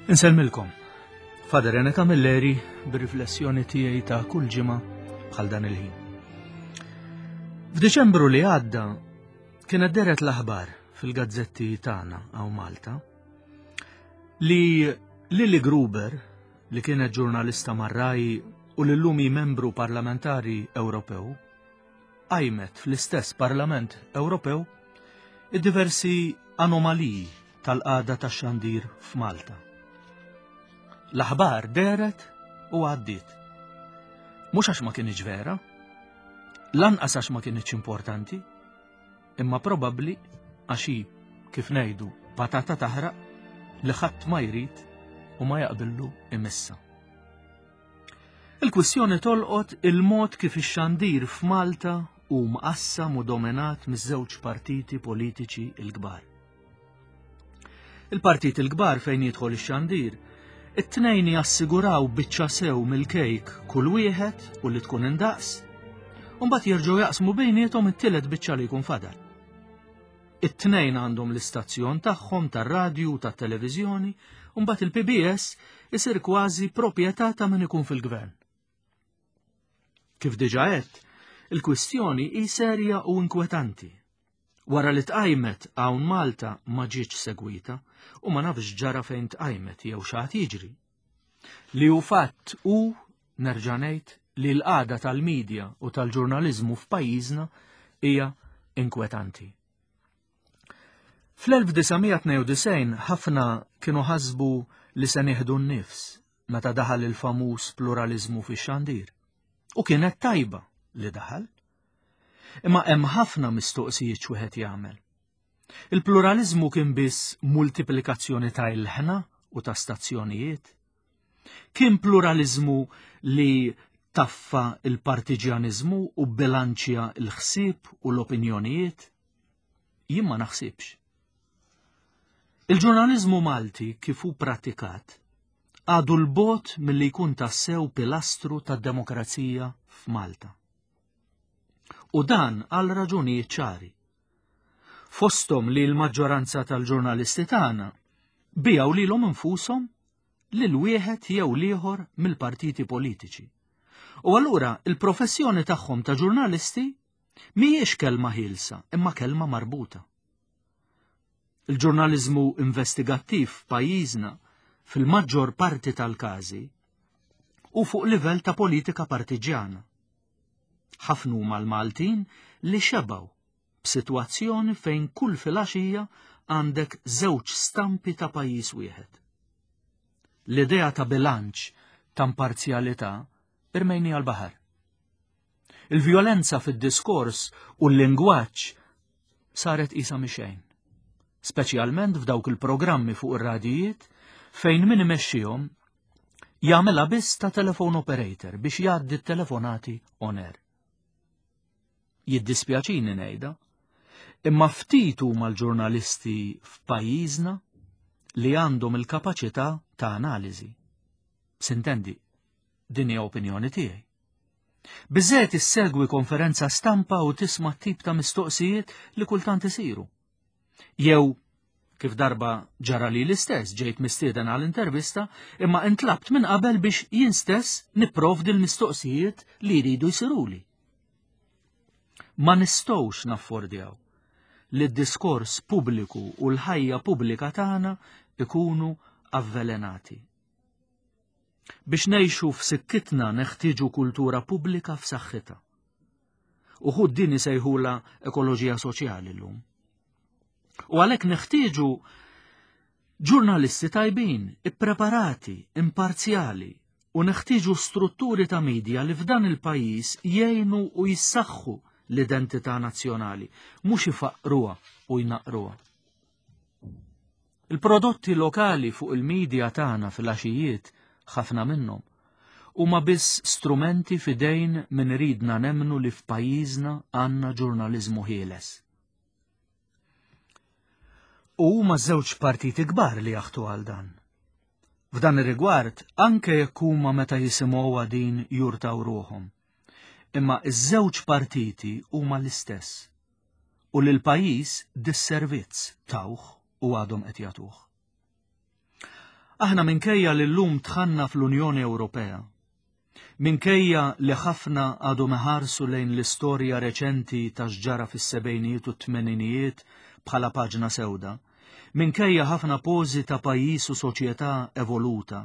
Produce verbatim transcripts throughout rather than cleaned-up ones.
Insellmilkom. Father Rene Camilleri bir-riflessjoni tiegħi ta' kull ġimgħa bħal dan il-ħin. F'Diċembru li għadda kienet deret l-aħbar fil-gazzetti tagħna hawn Malta li Lili Gruber, li kienet ġurnalista mar-RAI u li llum hi membru parlamentari Ewropew, qajmet fl-istess Parlament Ewropew id-diversi anomaliji tal-qagħda tax-xandir f'Malta. L-aħbar deret u għaddiet. Mhux għax ma kienx vera, lanqas għax ma kienx importanti, imma probabbli għax hi, kif ngħidu, patata taħraq li ħadd ma jrid u ma jaqbillu imissa. Il-kwistjoni tolqot il-mod kif ix-xandir f'Malta hu mqassam u dominat miż-żewġ partiti politiċi l-kbar. Il-partiti l-kbar fejn jidħol ix-xandir, it-tnejn jassiguraw biċċa sew mill-kejk kull wieħed u li tkun indaqs, u mbagħad jerġgħu jaqsmu bejniethom it-tielet biċċa li jkun fadal. It-tnejn għandhom l-istazzjon tagħhom tar-radju u tat-televiżjoni, u mbagħad il-P B S isir kważi proprjetà ta' min ikun fil-gvern. Kif diġà għedt, il-kwistjoni hi serja u inkwetanti. Wara li tqajmet hawn Malta ma ġietx segwita u ma nafx ġara fejn tqajmet jew x'għad jiġri. Li hu fatt u nerġa' ngħid li l-qagħda tal-medja u tal-ġurnaliżmu f'pajjiżna hija inkwetanti. Fl-elf disa' mija tnejn u disgħin ħafna kienu ħasbu li se nieħdu n-nifs meta daħal il-famuż pluralizmu fix-xandir. U kienet tajba li daħal. Imma hemm ħafna mistoqsijiet x'wieħed jagħmel. Il-pluralizmu kien biss multiplikazzjoni ta' ilħna u ta' stazzjonijiet. Kien pluralizmu li taffa il-partiġjanizmu u bilanċja l-ħsieb u l-opinjonijiet? Jien ma naħsibx. Il-ġurnalizmu Malti kif hu pratikat għadu 'l bogħod milli jkun tassew pilastru tad-demokrazija f'Malta. U dan għal raġunijiet ċari. Fostom li l-maġġoranza tal-ġurnalisti tagħna biegħu lilhom infushom lil wieħed jew l-ieħor mill-partiti politiċi. U allura il-professjoni tagħhom ta' ġurnalisti mhijiex kelma ħielsa, imma kelma marbuta. Il-ġurnaliżmu investigattiv f'pajjiżna fil-maġġor parti tal-każi hu fuq livell ta' politika partiġjana. Ħafna huma l-Maltin li xebaw b'sitwazzjoni fejn kull filgħaxija għandek żewġ stampi ta' pajjiż wieħed. L-idea ta' bilanċ ta' imparzjalità irmejnieha għall-baħar. Il-vjolenza fid-diskors u l-lingwaġġ saret qisha mhi xejn, speċjalment f'dawk il-programmi fuq ir-radijiet fejn min imexxihom jagħmilha biss ta' telephone operator biex jgħaddi t-telefonati on air. Jiddispjaċini ngħidha, imma ftit huma l-ġurnalisti f'pajjiżna li għandhom il-kapaċità ta' analiżi. Sintendi, din hija opinjoni tiegħi. Biżżejjed issegwi konferenza stampa u tisma' tip ta' mistoqsijiet li kultant isiru. Jew kif darba ġara li l-istess ġejt mistieden għal intervista imma intlabt minn qabel biex jien stess nipprovdi l-mistoqsijiet li jridu jsiruli. Ma nistgħux naffordjaw li d-diskors pubbliku u l-ħajja pubblika tagħna ikunu avvelenati. Biex ngħixu f'sikkitna neħtieġu kultura pubblika f'saħħitha. Uħud din isejħula ekoloġija soċjali llum. U għalhekk neħtieġu ġurnalisti tajbin, ippreparati, imparzjali, u neħtieġu strutturi ta' media li f'dan il-pajjiż jgħinu u jissaħħu l-identità nazzjonali, mhux ifaqruha u jnaqruha. Il-prodotti lokali fuq il-medja tagħna fil-għaxijiet, ħafna minnhom, huma biss strumenti f'idejn min iridna nemmnu li f'pajjiżna għandna ġurnaliżmu ħieles. U huma żewġ partiti kbar li jaħtu għal dan. F'dan ir-rigward, anke jekk huma meta jisimgħuha din jurtaw ruħhom. Imma iż-żewġ partiti huma l-istess. U lil pajjiż disservizz tawh u għadhom qed jagħtuh. Aħna minkejja li llum dħalna fl-Unjoni Ewropea, minkejja li ħafna għadhom iħarsu lejn l-istorja reċenti ta' x'ġara fis-sebgħinijiet u t-tmeninijiet bħala paġna sewda, minkejja ħafna pożi ta' pajjiż u soċjetà evoluta,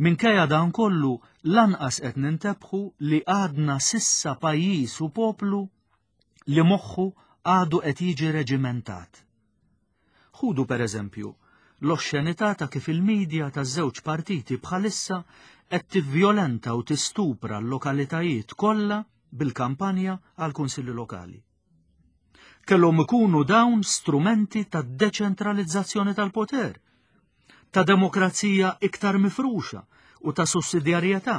minkejja dan kollu lanqas qed nintebħu li għadna s'issa pajjiż u poplu li moħħu għadu qed jiġi reġimentat. Ħudu per eżempju l-oxxenità ta' kif il-medja taż-żewġ partiti bħalissa qed tivvjolenta u tistupra l-lokalitajiet kollha bil-kampanja għal kunsilli lokali. Kellhom ikunu dawn strumenti ta' deċentralizzazzjoni tal-poter, ta' demokrazija iktar mifruxa u ta' sussidjarjetà.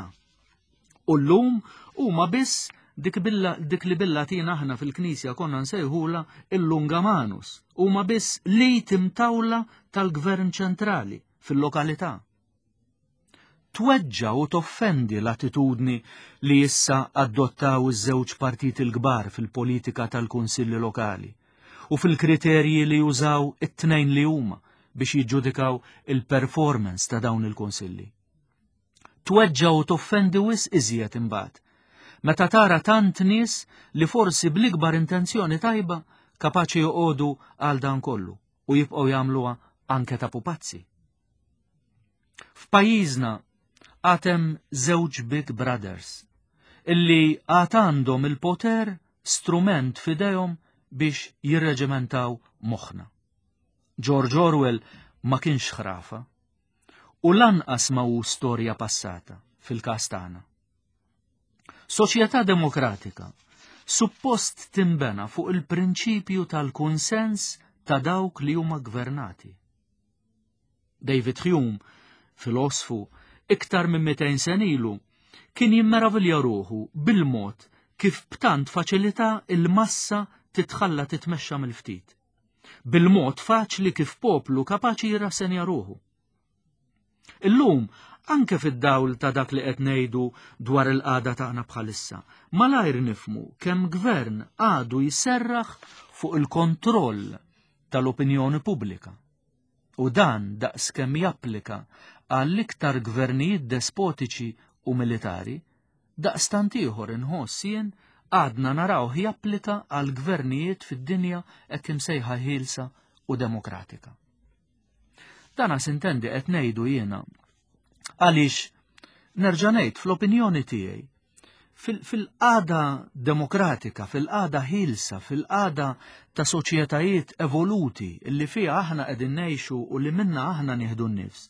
U llum huma biss dik, billa, dik li bil-Latin aħna fil-Knisja konna nsejħula il-lunga manus, huma biss li timtawla tal-gvern ċentrali fil-lokalità. Tweġġa u toffendi l-attitudni li issa adottaw iż-żewġ partiti l-kbar fil-politika tal-kunsilli lokali u fil-kriterji li jużaw it-tnejn li huma biex jiġġudikaw il-performance ta' dawn il-kunsilli. Tweġġa u toffendi wisq iżjed imbagħad meta tara tant nies li forsi bl-ikbar intenzjoni tajba kapaċi joqogħdu għal dan kollu u jibqgħu jagħmluha anke ta' pupazzi. F'pajjiżna għad hemm żewġ Big Brothers illi għad għandhom il-poter strument f'idejhom biex jirreġimentaw moħħna. George Orwell ma kienx ħrafa u lanqas ma hu storja passata fil-każ tagħna. Soċjetà demokratika suppost timbena fuq il-prinċipju tal-kunsens ta' dawk li huma gvernati. David Hume, filosfu, iktar minn mitejn sena ilu, kien jimmeravilja ruħu bil-mod kif b'tant faċilità il-massa titħalla titmexxa mill-ftit. Bil-mod faċli kif poplu kapaċi jirrassenja ruħu. Illum, anke fid-dawl ta' dak li qed ngħidu dwar il-qagħda tagħna bħalissa, malajr nifhmu kemm gvern għadu jserraħ fuq il-kontroll tal-opinjoni pubblika. U dan daqs kemm japplika għall-iktar gvernijiet despotiċi u militari, daqstant ieħor inħoss jien għadna narawh japplika għal gvernijiet fid-dinja hekk imsejħa ħielsa u demokratika. Dana sintendi qed ngħidu jiena għaliex nerġa' ngħid fl-opinjoni tiegħi fil-qagħda demokratika, fil-qagħda ħielsa, fil-qagħda ta' soċjetajiet evoluti li fiha aħna qegħdin ngħixu u li minna aħna nieħdu n-nifs.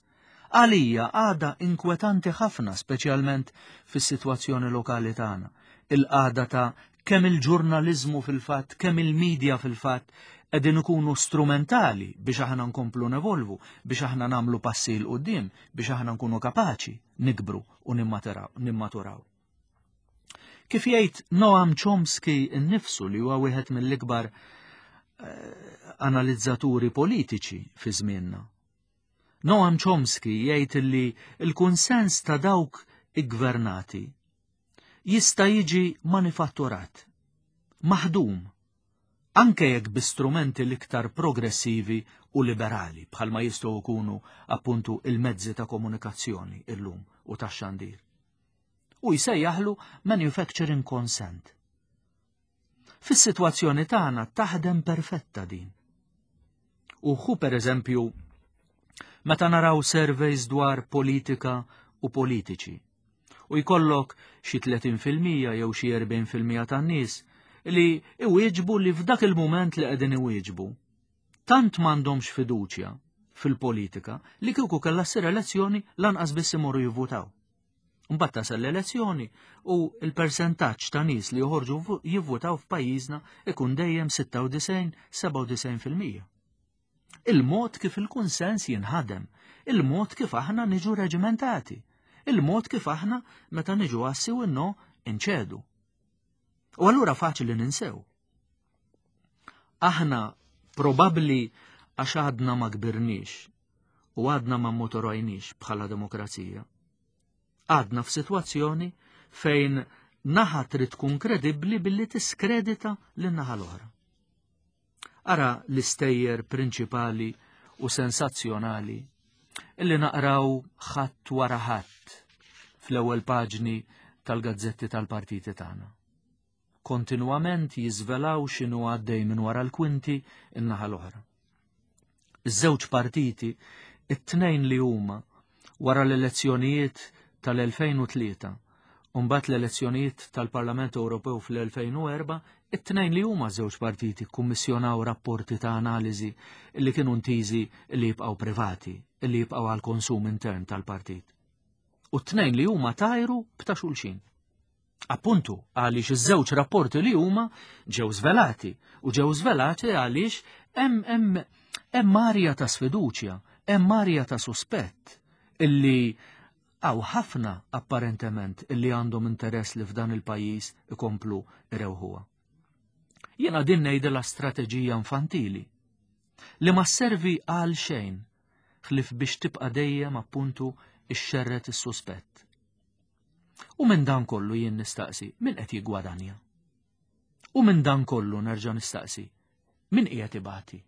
Għalija għada inkwetanti ħafna, speċjalment fis-sitwazzjoni lokali tagħna. Il-qagħda ta' kemm il-ġurnaliżmu fil-fatt, kemm il-medja fil-fatt qegħdin ikunu strumentali biex aħna nkomplu nevolvu, biex aħna nagħmlu passi 'l quddiem, biex aħna nkunu kapaċi nikbru u nimmaturaw. Kif jgħid Noam Chomsky innifsu, li huwa wieħed mill-ikbar eh, analizzaturi politiċi fi żmienna. Noam Chomsky jgħid li l-kunsens ta' dawk iggvernati jista' jiġi manifatturat, maħdum, anke jekk bi strumenti l-iktar progressivi u liberali bħalma jistgħu jkunu appuntu il-mezzi ta' komunikazzjoni illum u ta' xandir. U jsejjaħlu manufacturing consent. Fis-sitwazzjoni tagħna taħdem perfetta din. U hu per eżempju meta naraw surveys dwar politika u politiċi u jkollok xi tletin fil-mija jew xi erbgħin fil-mija tan-nies li iwieġbu li f'dak il-mument li qegħdin iwieġbu tant m'għandhomx fiduċja fil-politika li kieku kellha ssir elezzjoni lanqas biss imorru jivvutaw. Mbagħad tasal l-elezzjoni u l-persentaġġ ta' nies li joħorġu jivvutaw f'pajjiżna ikun dejjem sitta u disgħin, sebgħa u disgħin fil-mija. Il-mod kif il-kunsens jinħadem, il-mod kif aħna niġu reġimentati, il-mod kif aħna meta niġu għas-sì u no inċedu. U allura faċli ninsew. Aħna probabli għax għadna ma kbirniex u għadna ma mmaturajniex bħala demokrazija. Għadna f'sitwazzjoni fejn naħa trid tkun kredibbli billi tiskredita lin-naħa l-oħra. Ara l-istejjer prinċipali u sensazzjonali Illi naqraw ħadd wara ħadd fl-ewwel paġni tal-gazzetti tal-partiti tagħna. Kontinwament jiżvelaw x'inhu għaddej minn wara l-kwinti in-naħa l-oħra. Iż-żewġ partiti, it-tnejn li huma wara l-elezzjonijiet tal-elfejn u tlieta u mbagħad l-elezzjonijiet tal-Parlament Ewropew fl-elfejn u erba', it-tnejn li huma żewġ partiti kkummissjonaw rapporti ta' analiżi li kienu ntiżi li jibqgħu privati, li jibqgħu għal konsum intern tal-partit. U t-tnejn li huma tajru b'ta' xulxin. Appuntu għaliex iż-żewġ rapporti li huma ġew żvelati u ġew żvelati għaliex hemm hemm hemm arja ta' sfiduċja, hemm arja ta' suspett illi hawn ħafna apparentement illi għandhom interess li f'dan il-pajjiż ikomplu irewħuha. Jiena din ngħidilha strateġija infantili li ma sservi għal xejn ħlief biex tibqa' dejjem appuntu ixxerret is-suspett. U minn dan kollu jien nistaqsi min qed jiggwadanja. U minn dan kollu nerġa' nistaqsi min qiegħed ibati.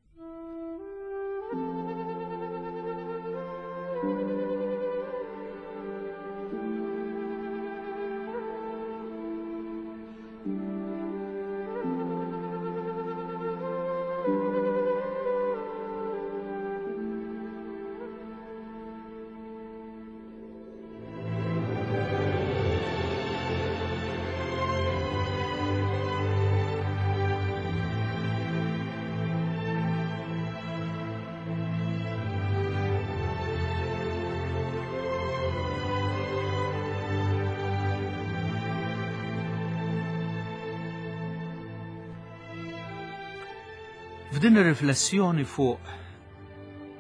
F'din ir-riflessjoni fuq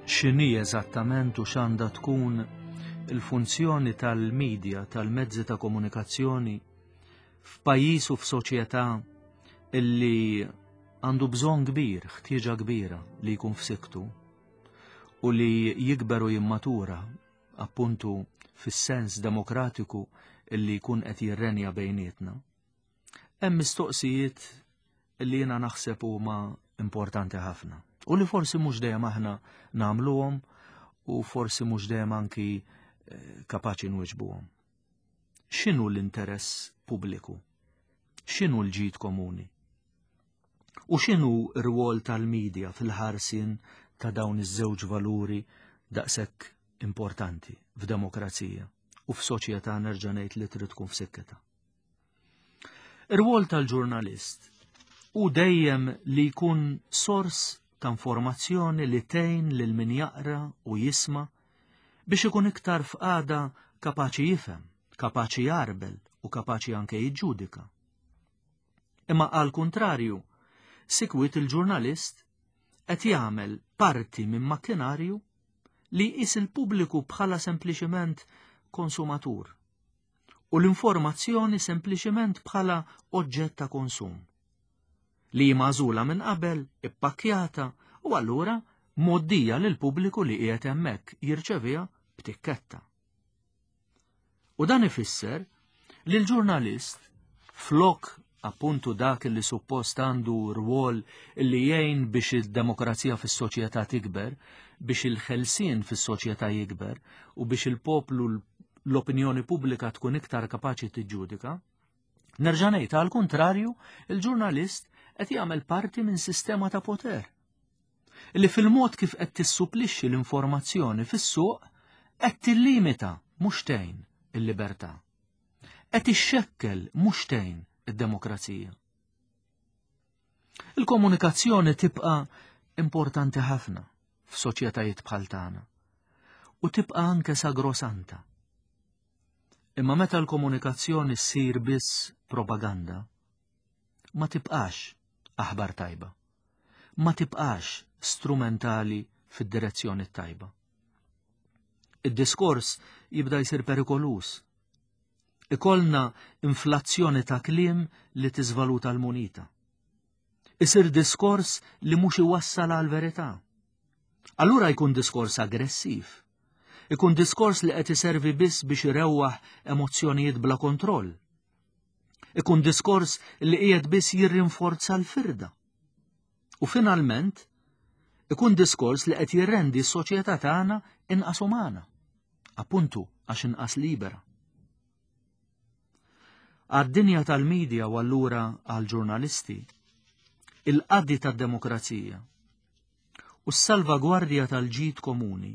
x'inhi eżattament u x'għandha tkun il-funzjoni tal-medja, tal-mezzi ta' komunikazzjoni f'pajjiż u f'soċjetà illi għandu bżonn kbir, ħtieġa kbira li jkun f'siktu u li jikber u jimmatura appuntu fis-sens demokratiku illi jkun qed jirrenja bejnietna. Hemm mistoqsijiet illi jiena naħseb huma importanti ħafna u li forsi mhux dejjem aħna nagħmluhom u forsi mhux dejjem anki kapaċi nwiġbuhom. X'inhu l-interess pubbliku? X'inhu l-ġid komuni? U x'inhu r-rwol tal-medja fil-ħarsien ta' dawn iż-żewġ valuri daqshekk importanti f'demokrazija u f'soċjetà nerġa' ngħid li trid tkun f'sikketha? Ir-rwol tal-ġurnalist u dejjem li jkun sors ta' informazzjoni li tgħin lil min jaqra u jisma' biex ikun iktar f'qagħda kapaċi jifhem, kapaċi jarbel u kapaċi anke jiġġudika. Imma għal kuntrarju, sikwit il-ġurnalist qed jagħmel parti minn makkinarju li jqis il-pubbliku bħala sempliċiment konsumatur u l-informazzjoni sempliċiment bħala oġġett ta' konsum li magħżula minn qabel, ippakkjata u allura mgħoddija lil pubbliku li qiegħed hemmhekk jirċeviha b'tikketta. U dan ifisser li l-ġurnalist flok appuntu dak li suppost għandu rwol li jgħin biex id-demokrazija fis-soċjetà tikber, biex il-ħelsien fis-soċjetà jikber u biex il-poplu l-opinjoni pubblika tkun iktar kapaċi tiġġudika, nerġa' ngħid għal kuntrarju, il-ġurnalist qed jagħmel parti minn sistema ta' poter li fil-mod kif qed tissupplixxi l-informazzjoni fis-suq qed tillimita mhux tgħin il-libertà. Qed ixxekkel mhux tgħin id-demokrazija. Il-komunikazzjoni tibqa' importanti ħafna f'soċjetajiet bħal tagħna u tibqa' anke sagrosanta. Imma meta l-komunikazzjoni ssir biss propaganda, ma tibqax aħbar tajba, ma tibqax strumentali fid-direzzjoni tajba. Id-diskors jibda jsir perikolus. Ikollna inflazzjoni ta' kliem li tiżvaluta l-munita. Isir diskors li mhux iwassal għal verità. Allura jkun diskors aggressiv. Ikun diskors li qed iservi biss biex irewwaħ emozzjonijiet bla kontroll. Ikun diskors li qiegħed biss jirrinforza l-firda. U finalment Ikun diskors li qed jirrendi s-soċjetà tagħna inqas umana, appuntu għax inqas libera. Għad-dinja tal-medja u allura għal-ġurnalisti, il-qaddi tad-demokrazija u s-salvagwardja tal-ġid komuni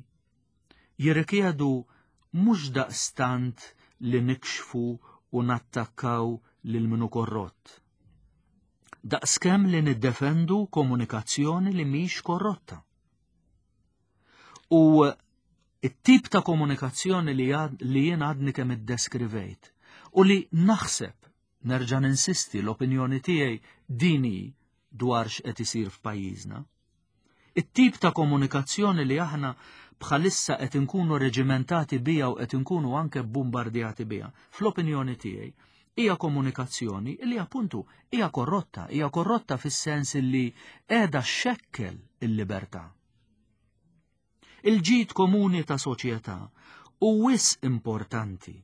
jirrikjedu mhux daqstant li nikxfu u nattakkaw lil minu korrott. Daqskemm li niddefendu komunikazzjoni li mhix korrotta. U it-tip ta' komunikazzjoni li, li jien għadni kemm iddeskrivejt u li naħseb, nerġa' ninsisti, l-opinjoni tiegħi dini dwar x'qed isir f'pajjiżna. It-tip ta' komunikazzjoni li aħna bħalissa qed inkunu reġimentati bija u qed inkunu anke bombardjati bija, fl-opinjoni tiegħi, hija komunikazzjoni li appuntu hija korrotta, hija korrotta fis-sens li qiegħda xekkel il-libertà. Il-ġid komuni ta' soċjetà u wis importanti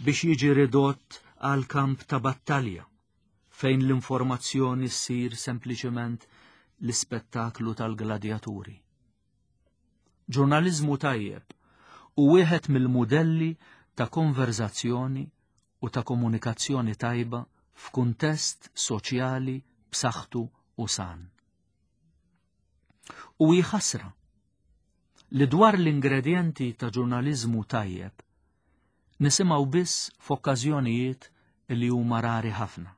biex jiġi ridott għal kamp ta' battalja fejn l-informazzjoni ssir sempliċement l-ispettaklu tal-gladjaturi. Ġurnaliżmu tajjeb u wieħed mill-mudelli ta' konverzazzjoni u ta' komunikazzjoni tajba f'kuntest soċjali b'saħħtu u san. U hi ħasra li dwar l-ingredjenti ta' ġurnaliżmu tajjeb nisimgħu biss f'okkażjonijiet li huma rari ħafna.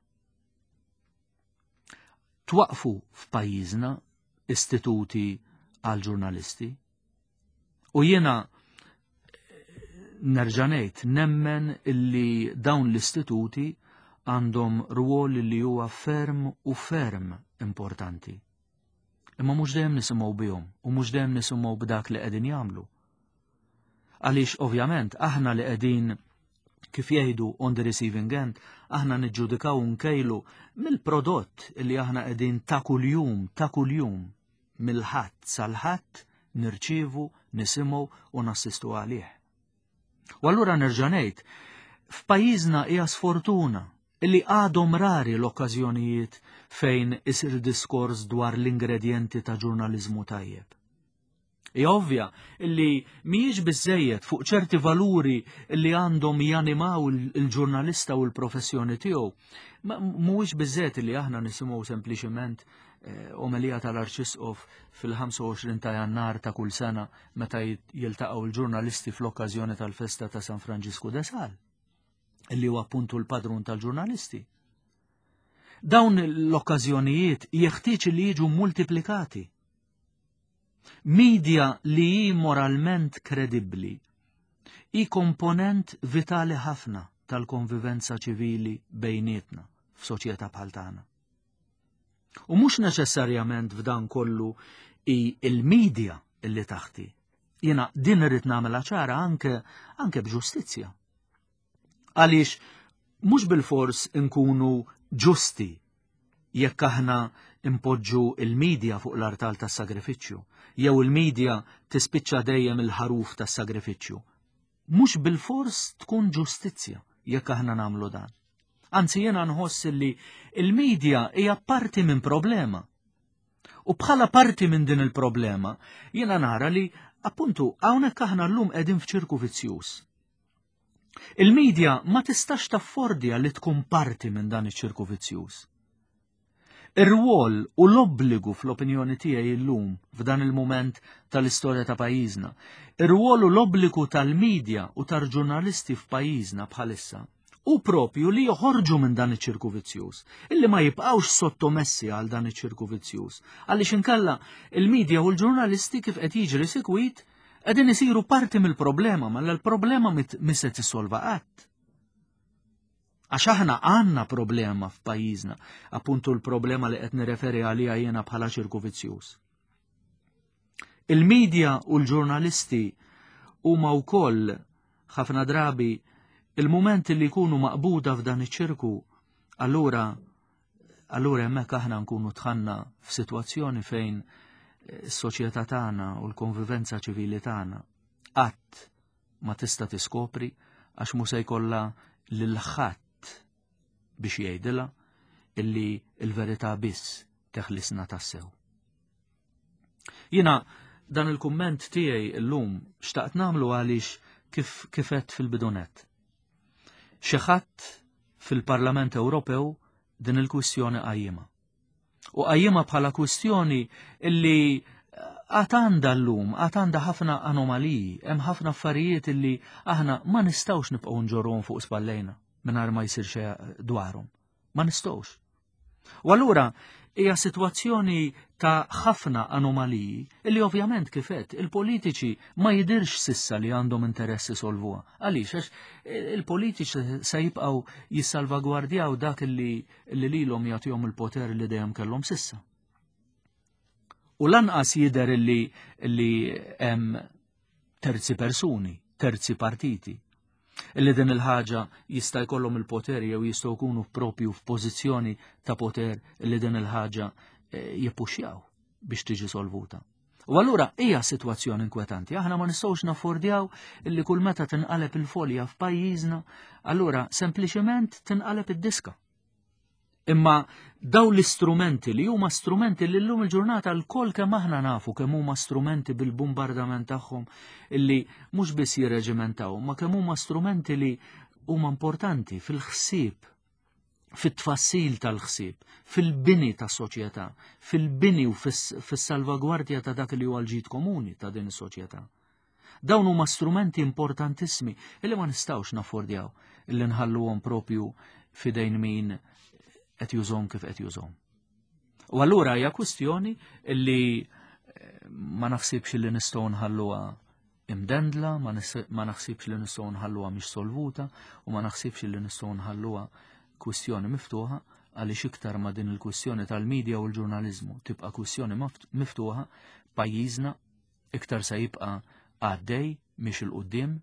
Twaqfu f'pajjiżna istituti għal ġurnalisti u jiena nerġa' ngħid nemmen illi dawn l-istituti għandhom rwol li huwa ferm u ferm importanti. Imma mhux dejjem nisimgħu bihom u mhux dejjem nisimgħu b'dak li qegħdin jagħmlu. Għaliex ovvjament aħna li qegħdin, kif jgħidu, on the receiving end, aħna niġġudikaw, nkejlu mill-prodott li aħna qegħdin ta' kuljum, ta' kuljum, mill-Ħadd sal-Ħadd nirċievu, nisimgħu u nassistu għalih. U allura nerġa' ngħid, f'pajjiżna hija sfortuna illi għadhom rari l-okkażjonijiet fejn isir diskors dwar l-ingredjenti ta' ġurnaliżmu tajjeb. Hija ovvja illi mhijiex biżejjed fuq ċerti valuri li għandhom janimaw il-ġurnalista u l-professjoni tiegħu. Mhuwiex biżejjed li aħna nisimgħu sempliċement eh, omelija tal-Arċisqof fil-ħamsa u għoxrin ta' Jannar ta' kull sena meta jiltaqgħu l-ġurnalisti fl-okkażjoni tal-festa ta' San Franġisku de Sal, illi huwa appuntu l-padrun tal-ġurnalisti. Dawn l-okkażjonijiet jeħtieġ li jiġu multiplikati. Media li hi moralment kredibbli hi komponent vitali ħafna tal-konvivenza ċivili bejnietna f'soċjetà bħal tagħna. U mhux neċessarjament f'dan kollu hi il-media illi taħti. Jiena din irrid nagħmilha ċara anke anke b'ġustizzja. Għaliex mhux bil-fors inkunu ġusti jekk aħna impoġġu il-medja fuq l-artal tas-sagrifiċċju, jew il-medja tispiċċa dejjem il-ħaruf tas-sagrifiċċju. Mhux bil-fors tkun ġustizzja jekk aħna nagħmlu dan. Anzi, jiena nħoss li il-medja hija parti minn problema. U bħala parti minn din il-problema, jiena nara li appuntu hawnhekk aħna llum qegħdin f'ċirku vizzjuż. Il-medja ma tistax taffordja li tkun parti minn dan iċ-ċirku vizzjuż. Ir-rwol u l-obbligu, fl-opinjoni tiegħi llum f'dan il-mument tal-istorja ta' pajjiżna, ir-rwol u l-obbligu tal-medja u tal-ġurnalisti f'pajjiżna bħalissa u propju li joħorġu minn dan iċ-ċirku vizzjuż, illi ma jibqgħux sottomessi għal dan iċ-ċirku vizzjuż. Għaliex inkella il-medja u l-ġurnalisti, kif qed jiġri sikwit, qegħdin isiru parti mill-problema, ma l-problema mhix se tissolva qatt. Għax aħna għandna problema f'pajjiżna, appuntu l-problema li qed nirreferi għalija jiena bħala ċirku vizzjuż. Il-medja u l-ġurnalisti huma wkoll ħafna drabi, il-moment li jkunu maqbuda f'dan iċ-ċirku, allura allura hemmhekk aħna nkunu dħalna f'sitwazzjoni fejn is-soċjetà tagħna u l-konvivenza ċivili tagħna qatt ma tista' tiskopri, għax mhu se jkollha lil ħadd biex jgħidilha illi l-verità biss teħlisna tassew. Jiena dan il-kumment tiegħi llum xtaqt nagħmlu għaliex kif kif għedt fil-bidu nett. Xi ħadd fil-Parlament Ewropew din il-kwistjoni qajjimha. U qajjimha bħala kwistjoni illi għad għandha llum, għad għandha ħafna anomaliji, hemm ħafna affarijiet illi aħna ma nistgħux nibqgħu nġorruhom fuq spallejna mingħajr ma jsir xejn dwarhom. Ma nistgħux. U allura hija sitwazzjoni ta' ħafna anomaliji illi ovvjament kif għedt il-politiċi ma jidirx s'issa li għandhom interess isolvuha. Għaliex? Għax il-politiċi se jibqgħu jissalvagwardjaw dak li li lilhom jagħtihom il-poter li dejjem kellhom s'issa. U lanqas jidher illi li hemm terzi persuni, terzi partiti, illi din il-ħaġa jista' jkollhom il-poter jew jistgħu jkunu propju f'pożizzjoni ta' poter illi din il-ħaġa eh, jippuxjaw biex tiġi solvuta. U allura hija sitwazzjoni inkwetanti. Aħna ma nistgħux naffordjaw illi kull meta tinqaleb il-folja f'pajjiżna, allura sempliċement tinqaleb id-diska. Imma daw l-istrumenti li huma strumenti li llum il-ġurnata lkoll kemm aħna nafu kemm huma strumenti bil-bombardament tagħhom illi mhux biss jirreġimentaw, ma kemm huma strumenti li huma importanti fil-ħsieb, fit-tfassil tal-ħsieb, fil-bini tas-soċjetà, fil-bini u fis-salvagwardja ta' dak li huwa l-ġid komuni ta' din is-soċjetà. Dawn huma strumenti importantissimi illi ma nistgħux naffordjaw illi nħalluhom propju f'idejn min qed jużhom kif qed jużhom. U allura hija kwistjoni illi eh, ma naħsibx li nistgħu nħalluha imdendla, ma naħsibx li nistgħu nħalluha mhix solvuta u ma naħsibx li nistgħu nħalluha kwistjoni miftuħa għaliex iktar ma din il-kwistjoni tal-medja u l-ġurnaliżmu tibqa' kwistjoni miftuħa, pajjiżna iktar se jibqa' għaddej mhix 'il quddiem,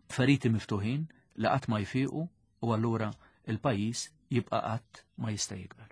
feriti miftuħin li qatt ma jfiqu u allura il-pajjiż jibqa' qatt ma jista' jikber.